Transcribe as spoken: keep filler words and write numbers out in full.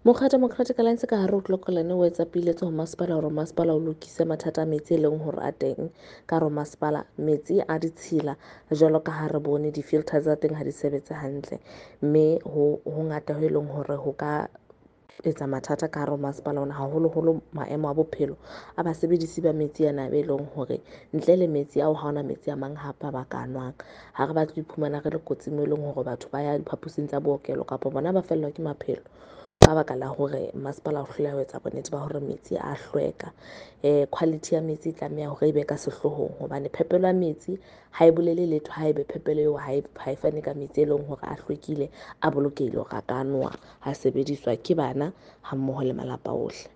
Mokga Democratic Alliance ka hare ho Clocolan o etsa piletso ho masepala hore masepala o lokise mathata a metsi e leng hore a teng ka hare ho masepala. Metsi a ditshila jwalo ka ha re bone di-filter tsa teng ha di sebetse hantle, mme ho hongata ho e leng hore ho ka etsa mathata ka hare ho masepala ona, haholoholo maemo a bophelo a basebedisi ba metsi ana be leng hore ntle le metsi ao ha hona metsi a mang hape a ba ka nwang. Ha re batle ho iphumana re le kotsing moo e leng hore batho ba ya diphaposing tsa bookelo kapa bona ba fellwa ke maphelo ka baka la hore masepala o hloleha ho etsa bonnete ba hore metsi a hlweka. Quality ya metsi e tlameha hore e be ka sehloohong hobane phepelo ya metsi ha e bolele letho haebe phepelo eo ha e ha e fane ka metsi e leng hore a hlwekile, a bolokehile hore a ka nowa, ha sebediswa ke bana ha mmoho le malapa ohle.